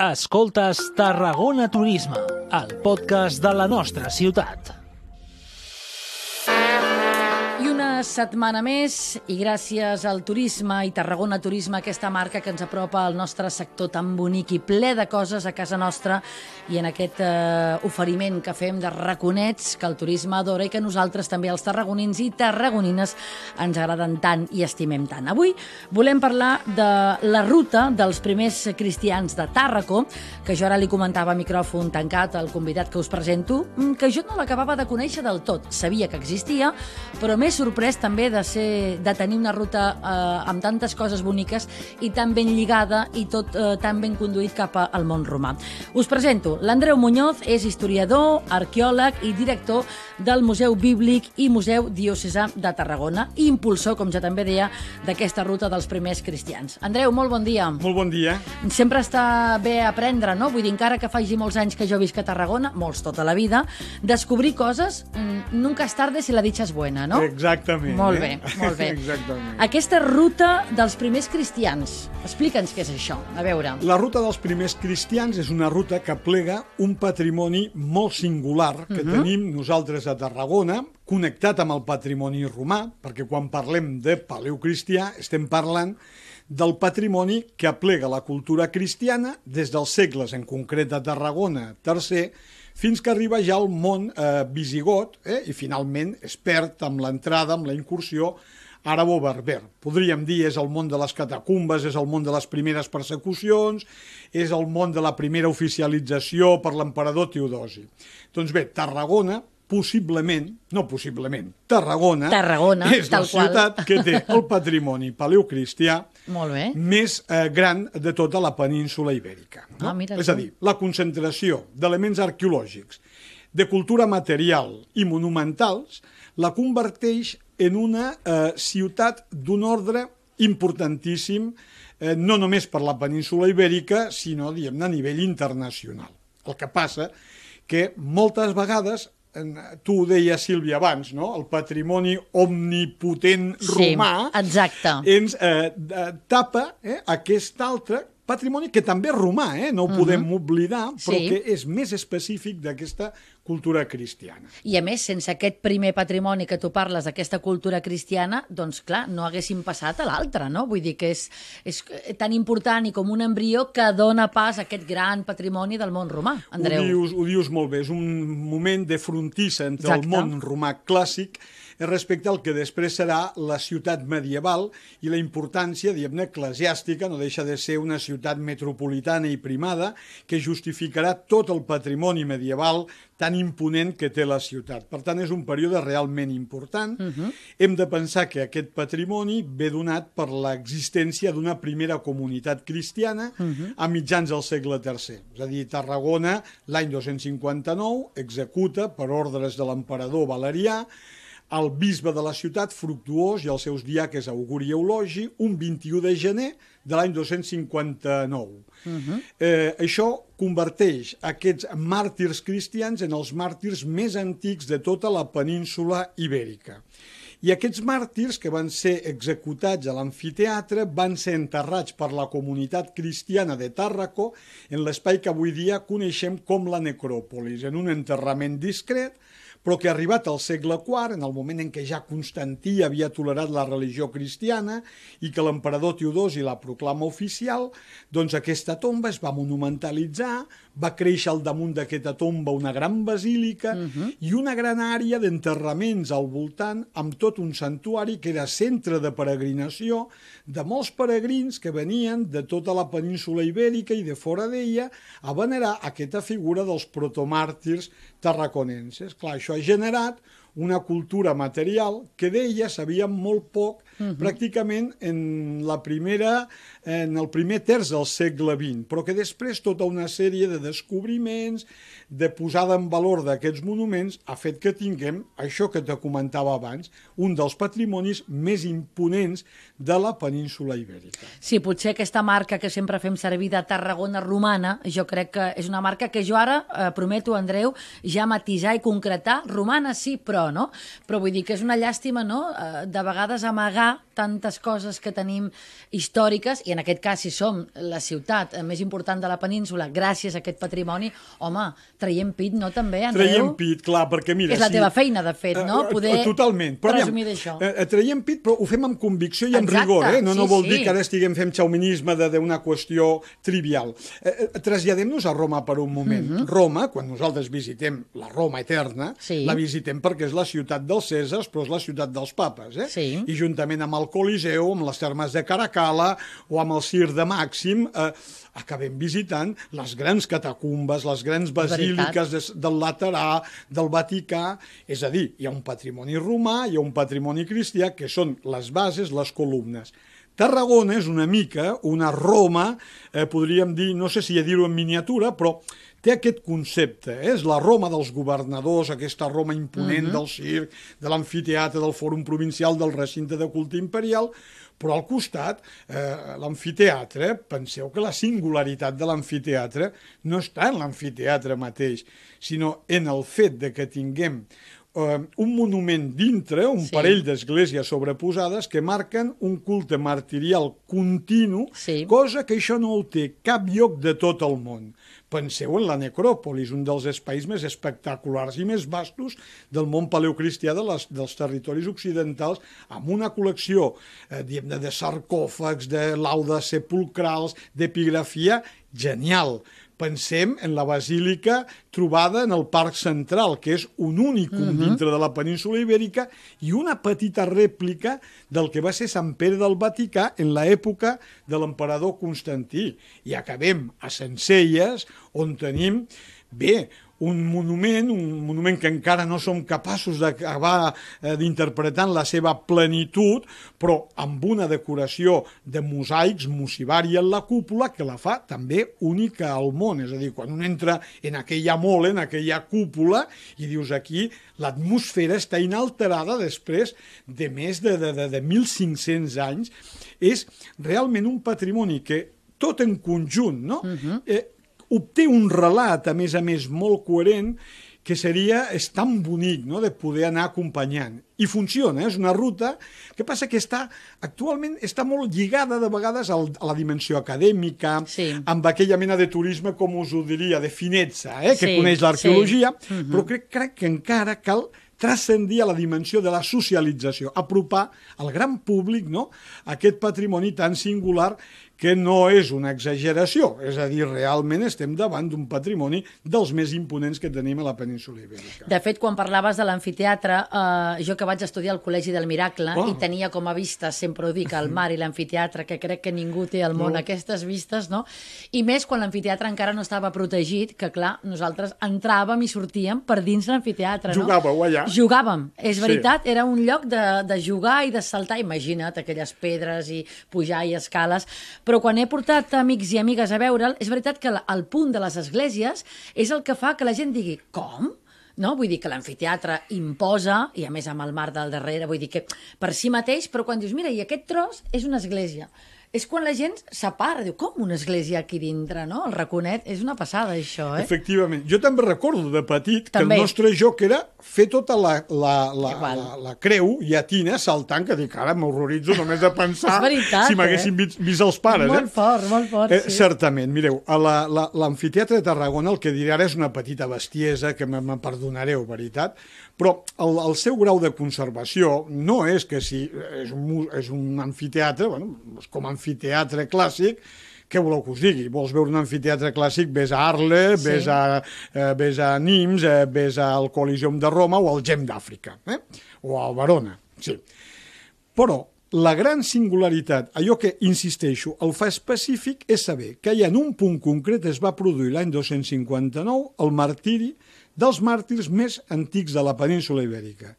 Escoltes Tarragona Turisme, el podcast de la nostra ciutat. I una setmana més, i gràcies al turisme i Tarragona Turisme, aquesta marca que ens apropa al nostre sector tan bonic i ple de coses a casa nostra, i en aquest oferiment que fem de raconets que el turisme adora i que nosaltres també, els tarragonins i tarragonines, ens agraden tant i estimem tant. Avui volem parlar de la ruta dels primers cristians de Tàrraco, que jo ara li comentava a micròfon tancat al convidat que us presento, que jo no l'acabava de conèixer del tot. Sabia que existia, però m'he sorprès també de tenir una ruta amb tantes coses boniques i tan ben lligada i tot tan ben conduït cap al món romà. Us presento l'Andreu Muñoz, és historiador, arqueòleg i director del Museu Bíblic i Museu Diocesà de Tarragona i impulsor, com ja també deia, d'aquesta ruta dels primers cristians. Andreu, molt bon dia. Molt bon dia. Sempre està bé aprendre, no? Vull dir, encara que faci molts anys que jo visc a Tarragona, molts tota la vida, descobrir coses, nunca es tarde si la dicha es buena, no? Exactament. Molt bé, molt bé. Exactament. Aquesta ruta dels primers cristians, explica'ns què és això, a veure. La ruta dels primers cristians és una ruta que plega un patrimoni molt singular que tenim nosaltres a Tarragona, connectat amb el patrimoni romà, perquè quan parlem de paleocristià estem parlant del patrimoni que aplega la cultura cristiana des dels segles, en concret a Tarragona, III, fins que arriba ja al món visigot i finalment es perd amb l'entrada, amb la incursió àrabo-berber. Podríem dir és el món de les catacumbes, és el món de les primeres persecucions, és el món de la primera oficialització per l'emperador Teodosi. Doncs bé, Tarragona, Tarragona és la ciutat que té el patrimoni paleocristià més gran de tota la península ibèrica. No? És a dir, la concentració d'elements arqueològics, de cultura material i monumentals la converteix en una ciutat d'un ordre importantíssim, no només per la península ibèrica, sinó, diguem-ne, a nivell internacional. El que passa que moltes vegades, tu ho deies, Sílvia, abans, no? El patrimoni omnipotent romà ens tapa aquest altre patrimoni que també és romà, no ho podem oblidar, però que és més específic d'aquesta cultura cristiana. I a més, sense aquest primer patrimoni que tu parles, d'aquesta cultura cristiana, doncs clar, no haguéssim passat a l'altre, no? Vull dir que és tan important i com un embrió que dona pas a aquest gran patrimoni del món romà, Andreu. Ho dius molt bé, és un moment de frontissa entre el món romà clàssic respecte al que després serà la ciutat medieval i la importància, diguem-ne, eclesiàstica, no deixa de ser una ciutat metropolitana i primada que justificarà tot el patrimoni medieval tan imponent que té la ciutat. Per tant, és un període realment important. Hem de pensar que aquest patrimoni ve donat per l'existència d'una primera comunitat cristiana a mitjans del segle III. És a dir, Tarragona, l'any 259, executa, per ordres de l'emperador Valerià, el bisbe de la ciutat, Fructuós, i els seus diaques Auguri i Eulogi, un 21 de gener de l'any 259. Això converteix aquests màrtirs cristians en els màrtirs més antics de tota la península ibèrica. I aquests màrtirs, que van ser executats a l'amfiteatre, van ser enterrats per la comunitat cristiana de Tàrraco en l'espai que avui dia coneixem com la necròpolis, en un enterrament discret, però que arribat al segle IV, en el moment en què ja Constantí havia tolerat la religió cristiana i que l'emperador Teodosi la proclama oficial, doncs aquesta tomba es va monumentalitzar, va créixer al damunt d'aquesta tomba una gran basílica i una gran àrea d'enterraments al voltant, amb tot un santuari que era centre de peregrinació de molts peregrins que venien de tota la península ibèrica i de fora d'ella a venerar aquesta figura dels protomàrtirs tarraconenses. Clar, això ha generat una cultura material que d'ella sabíem molt poc, pràcticament en el primer terç del segle XX, però que després tota una sèrie de descobriments, de posada en valor d'aquests monuments, ha fet que tinguem això que te comentava abans, un dels patrimonis més imponents de la península ibèrica. Sí, potser aquesta marca que sempre fem servir de Tarragona romana, jo crec que és una marca que jo ara prometo, Andreu, ja matisar i concretar. Romana sí, però això, no? Però vull dir que és una llàstima, no?, de vegades amagar tantes coses que tenim històriques, i en aquest cas, si som la ciutat més important de la península, gràcies a aquest patrimoni, home, traiem pit, no, també, Andreu? Traiem pit, clar, perquè mira... És la teva feina, de fet, no?, poder presumir d'això. Traiem pit, però ho fem amb convicció i amb rigor, no vol dir que ara estiguem fent xauminisme d'una qüestió trivial. Traslladem-nos a Roma per un moment. Roma, quan nosaltres visitem la Roma eterna, la visitem perquè és la ciutat dels Cèsars, però és la ciutat dels papes, i juntament amb el Coliseu, amb les termes de Caracalla o amb el Cir de Màxim, acabem visitant les grans catacumbes, les grans basíliques del Laterà, del Vaticà, és a dir, hi ha un patrimoni romà, hi ha un patrimoni cristià, que són les bases, les columnes. Tarragona és una mica una Roma, podríem dir, no sé si dir-ho en miniatura, però té aquest concepte, és la Roma dels governadors, aquesta Roma imponent del circ, de l'amfiteatre, del fòrum provincial, del recinte de culte imperial, però al costat, l'amfiteatre, penseu que la singularitat de l'amfiteatre no està en l'amfiteatre mateix, sinó en el fet de que tinguem un monument dintre, un parell d'esglésies sobreposades que marquen un culte martirial continu, cosa que això no ho té cap lloc de tot el món. Penseu en la necròpolis, un dels espais més espectaculars i més vastos del món paleocristià dels territoris occidentals, amb una col·lecció de sarcòfags, de laudes sepulcrals, d'epigrafia genial. Pensem en la basílica trobada en el Parc Central, que és un únicum dintre de la península Ibèrica, i una petita rèplica del que va ser Sant Pere del Vaticà en l'època de l'emperador Constantí. I acabem a Sencelles, on tenim, un monument que encara no som capaços d'acabar d'interpretar en la seva plenitud, però amb una decoració de mosaics, mosivari en la cúpula, que la fa també única al món. És a dir, quan un entra en aquella mole, en aquella cúpula, i dius aquí, l'atmosfera està inalterada després de més de 1.500 anys. És realment un patrimoni que, tot en conjunt, no?, obté un relat, a més, molt coherent, que és tan bonic, no?, de poder anar acompanyant. I funciona, és una ruta que passa que actualment està molt lligada de vegades a la dimensió acadèmica, amb aquella mena de turisme, com us ho diria, de finezza, que coneix l'arqueologia, però crec que encara cal transcendir a la dimensió de la socialització, apropar al gran públic, no?, aquest patrimoni tan singular que no és una exageració, és a dir, realment estem davant d'un patrimoni dels més imponents que tenim a la península Ibèrica. De fet, quan parlaves de l'amfiteatre, jo que vaig estudiar al Col·legi del Miracle i tenia com a vista, sempre ho dic, el mar i l'amfiteatre, que crec que ningú té al món aquestes vistes, no? I més quan l'amfiteatre encara no estava protegit, que clar, nosaltres entràvem i sortíem per dins l'amfiteatre, no? Jugàveu allà. Jugàvem, és veritat, era un lloc de jugar i de saltar, imagina't, aquelles pedres i pujar i escales, però quan he portat amics i amigues a veure'l, és veritat que el punt de les esglésies és el que fa que la gent digui, com? No? Vull dir que l'amfiteatre imposa, i a més amb el mar del darrere, vull dir que per si mateix, però quan dius, mira, i aquest tros és una església. És quan la gent s'apara, diu, com una església aquí dintre, no? El raconet, és una passada, això, Efectivament. Jo també recordo de petit que el nostre joc era fer tota la creu llatina saltant, que dic, ara m'horroritzo només de pensar si m'haguessin vist els pares. Molt fort, sí. Certament, mireu, a l'amfiteatre de Tarragona, el que diré ara és una petita bestiesa, que me perdonareu, veritat, però el seu grau de conservació no és que si és un amfiteatre, com a amfiteatre clàssic, què voleu que us digui? Vols veure un amfiteatre clàssic, ves a Arles, ves a Nimes, ves al Coliseum de Roma o al Gem d'Àfrica, o a Verona, sí. Però la gran singularitat, allò que, insisteixo, el fa específic, és saber que allà en un punt concret es va produir l'any 259 el martiri dels màrtirs més antics de la península Ibèrica,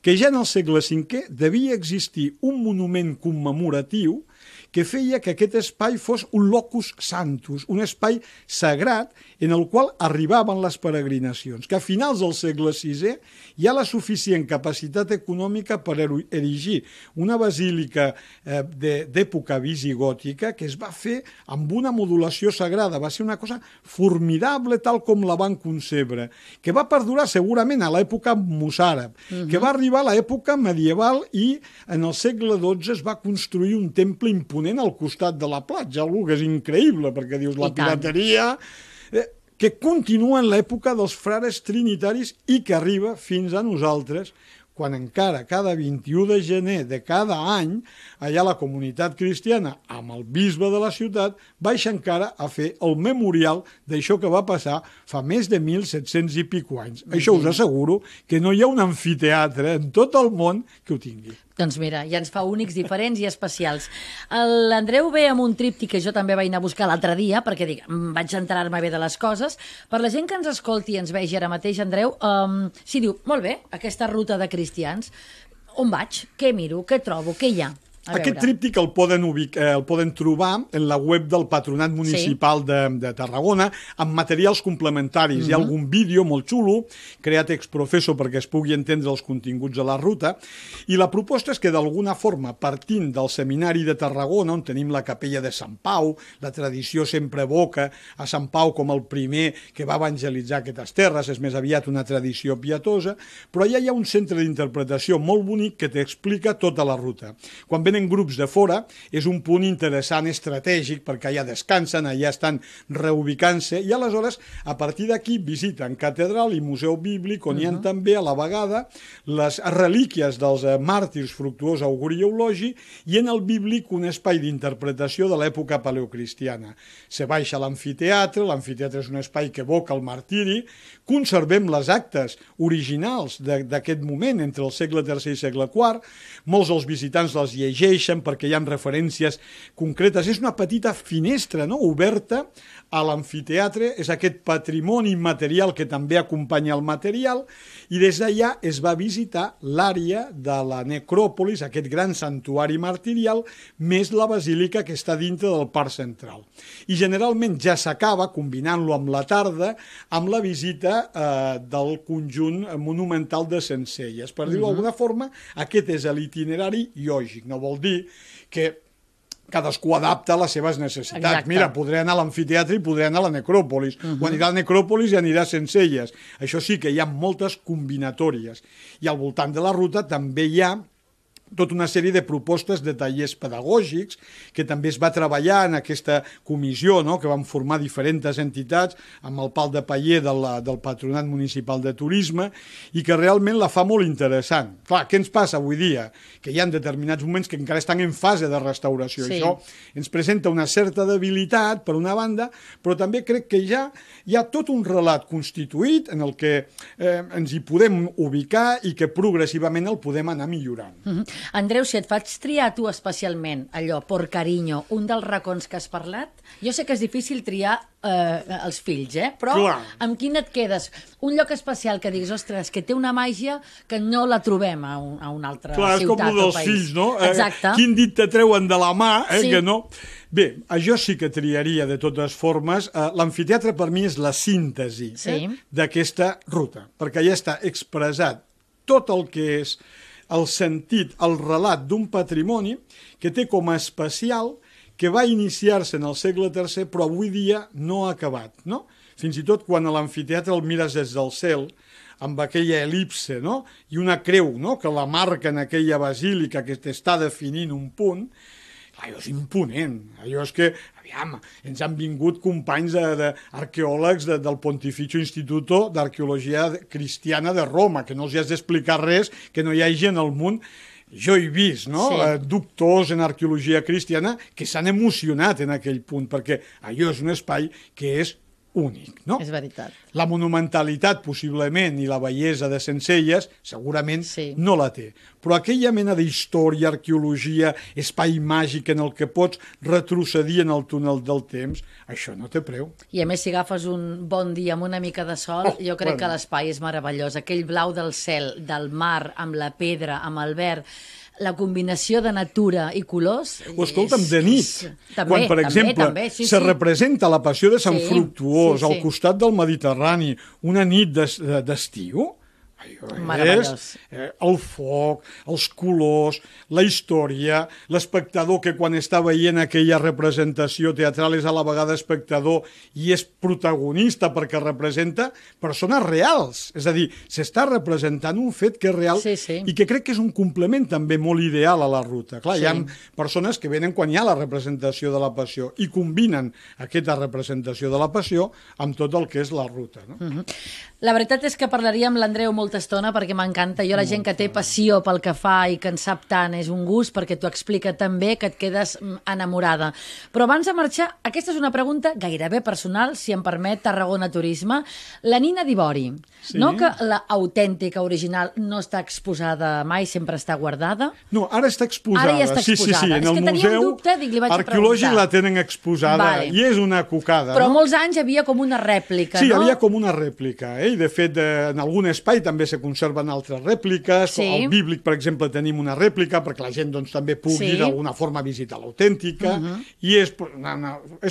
que ja en el segle V devia existir un monument commemoratiu que feia que aquest espai fos un locus santus, un espai sagrat en el qual arribaven les peregrinacions, que a finals del segle VI hi ha la suficient capacitat econòmica per erigir una basílica d'època visigòtica que es va fer amb una modulació sagrada. Va ser una cosa formidable tal com la van concebre, que va perdurar segurament a l'època mossàrab, que va arribar a l'època medieval i en el segle XII es va construir un temple imponent al costat de la platja, algo que és increïble, perquè dius la pirateria, que continua en l'època dels frares trinitaris i que arriba fins a nosaltres, quan encara cada 21 de gener de cada any, allà la comunitat cristiana, amb el bisbe de la ciutat, baixa encara a fer el memorial d'això que va passar fa més de 1.700 i pico anys. Això us asseguro que no hi ha un amfiteatre en tot el món que ho tingui. Doncs mira, ja ens fa únics, diferents i especials. L'Andreu ve amb un tríptic que jo també vaig anar a buscar l'altre dia, perquè dic, vaig enterar-me bé de les coses. Per la gent que ens escolti i ens vegi ara mateix, Andreu, si diu, molt bé, aquesta ruta de cristians, on vaig? Què miro? Què trobo? Què hi ha? Aquest tríptic el poden trobar en la web del Patronat Municipal de Tarragona amb materials complementaris. Hi ha algun vídeo molt xulo, creat ex professo perquè es pugui entendre els continguts de la ruta, i la proposta és que d'alguna forma, partint del Seminari de Tarragona, on tenim la capella de Sant Pau, la tradició sempre evoca a Sant Pau com el primer que va evangelitzar aquestes terres, és més aviat una tradició pietosa, però allà hi ha un centre d'interpretació molt bonic que t'explica tota la ruta. Quan venen grups de fora, és un punt interessant estratègic perquè allà descansen, allà estan reubicant-se i aleshores a partir d'aquí visiten catedral i museu bíblic on hi ha també a la vegada les relíquies dels màrtirs Fructuós, Auguri i Eulogi i en el bíblic un espai d'interpretació de l'època paleocristiana. Se baixa a l'amfiteatre és un espai que evoca el martiri, conservem les actes originals d'aquest moment entre el segle III i segle IV, molts dels visitants les llegeixen perquè hi ha referències concretes. És una petita finestra, no?, oberta a l'amfiteatre, és aquest patrimoni immaterial que també acompanya el material, i des d'allà es va visitar l'àrea de la necròpolis, aquest gran santuari martirial, més la basílica que està dintre del parc central. I generalment ja s'acaba, combinant-lo amb la tarda, amb la visita del conjunt monumental de Sencelles. Per dir-ho d'alguna forma, aquest és l'itinerari lògic. No vol dir que cadascú adapta les seves necessitats. Exacte. Mira, podré anar a l'amfiteatre i podré anar a la necròpolis. O anirà a la necròpolis i anirà a Sencelles. Això sí que hi ha moltes combinatòries. I al voltant de la ruta també hi ha tota una sèrie de propostes de tallers pedagògics que també es va treballar en aquesta comissió, no?, que van formar diferents entitats amb el pal de paller del Patronat Municipal de Turisme i que realment la fa molt interessant. Clar, què ens passa avui dia? Que hi ha determinats moments que encara estan en fase de restauració. Sí. Això ens presenta una certa debilitat, per una banda, però també crec que ja hi ha tot un relat constituït en el que ens hi podem ubicar i que progressivament el podem anar millorant. Andreu, si et faig triar tu especialment allò, por cariño, un dels racons que has parlat, jo sé que és difícil triar els fills, però clar, amb quin et quedes? Un lloc especial que diguis, ostres, que té una màgia que no la trobem a una altra clar, ciutat o país. Clar, és com el dels fills, no? Exacte. Quin dit te treuen de la mà, Sí. que no? Bé, això sí que triaria de totes formes. L'amfiteatre per mi és la síntesi d'aquesta ruta, perquè allà està expressat tot el que és el sentit, el relat d'un patrimoni que té com a especial que va iniciar-se en el segle III però avui dia no ha acabat, no? Fins i tot quan a l'amfiteatre el mires des del cel, amb aquella elipse, no?, i una creu, no?, que la marca en aquella basílica que t'està definint un punt, allò és imponent, allò és que, aviam, ens han vingut companys d'arqueòlegs del Pontificio Instituto d'Arqueologia Cristiana de Roma, que no els has d'explicar res que no hi hagi en el món. Jo he vist, no?, doctors en arqueologia cristiana que s'han emocionat en aquell punt, perquè allò és un espai que és únic, no? És veritat. La monumentalitat, possiblement, i la bellesa de Sencelles, segurament no la té. Però aquella mena d'història, arqueologia, espai màgic en el que pots retrocedir en el túnel del temps, això no té preu. I a més, si agafes un bon dia amb una mica de sol, jo crec que l'espai és meravellós. Aquell blau del cel, del mar, amb la pedra, amb el verd, la combinació de natura i colors... O escolta'm, de nit, quan, per exemple, se representa la passió de Sant Fructuós al costat del Mediterrani, una nit d'estiu, és el foc, els colors, la història, l'espectador que quan està veient aquella representació teatral és a la vegada espectador i és protagonista perquè representa persones reals. És a dir, s'està representant un fet que és real i que crec que és un complement també molt ideal a la ruta. Clar, hi ha persones que venen quan hi ha la representació de la passió i combinen aquesta representació de la passió amb tot el que és la ruta. La veritat és que parlaria amb l'Andreu molta estona perquè m'encanta. Jo la gent que té passió pel que fa i que en sap tant és un gust perquè t'ho explica tan bé que et quedes enamorada. Però abans de marxar, aquesta és una pregunta gairebé personal, si em permet, Tarragona Turisme. La Nina d'Ivori, no que l'autèntica original no està exposada mai, sempre està guardada? No, ara està exposada. Ara ja està exposada. Sí, en el Museu Arqueològic la tenen exposada i és una cocada. Però molts anys hi havia com una rèplica, no? Sí, hi havia com una rèplica, i de fet en algun espai també se conserven altres rèpliques. Al Bíblic, per exemple, tenim una rèplica perquè la gent també pugui d'alguna forma visitar l'autèntica i és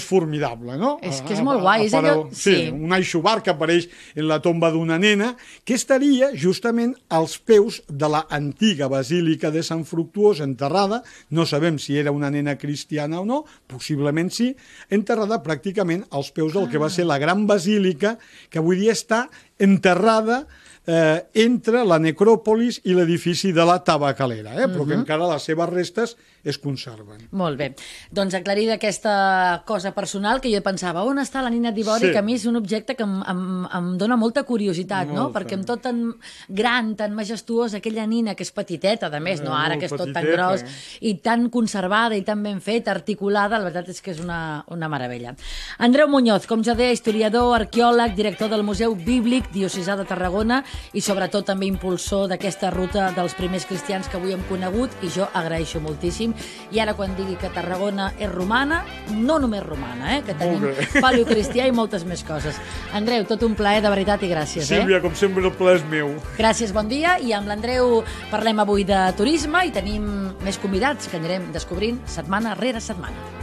formidable, no? És que és molt guai. Sí, un aixovar que apareix en la tomba d'una nena que estaria justament als peus de l'antiga basílica de Sant Fructuós, enterrada, no sabem si era una nena cristiana o no, possiblement sí, enterrada pràcticament als peus del que va ser la gran basílica, que avui dia està enterrada entre la necròpolis i l'edifici de la Tabacalera, però que encara les seves restes es conserven. Molt bé. Doncs aclarida aquesta cosa personal que jo pensava, on està la Nina d'Ivori, que a mi és un objecte que em dona molta curiositat, no? Perquè amb tot tan gran, tan majestuós, aquella nina que és petiteta, a més, no ara que és tot tan gros, i tan conservada i tan ben feta, articulada, la veritat és que és una meravella. Andreu Muñoz, com ja deia, historiador, arqueòleg, director del Museu Bíblic Diocesà de Tarragona i sobretot també impulsor d'aquesta ruta dels primers cristians que avui hem conegut, i jo agraeixo moltíssim. I ara quan digui que Tarragona és romana, no només romana, que tenim paleocristià i moltes més coses. Andreu, tot un plaer, de veritat, i gràcies. Sílvia, com sempre, el plaer és meu. Gràcies, bon dia, i amb l'Andreu parlem avui de turisme i tenim més convidats que anirem descobrint setmana rere setmana.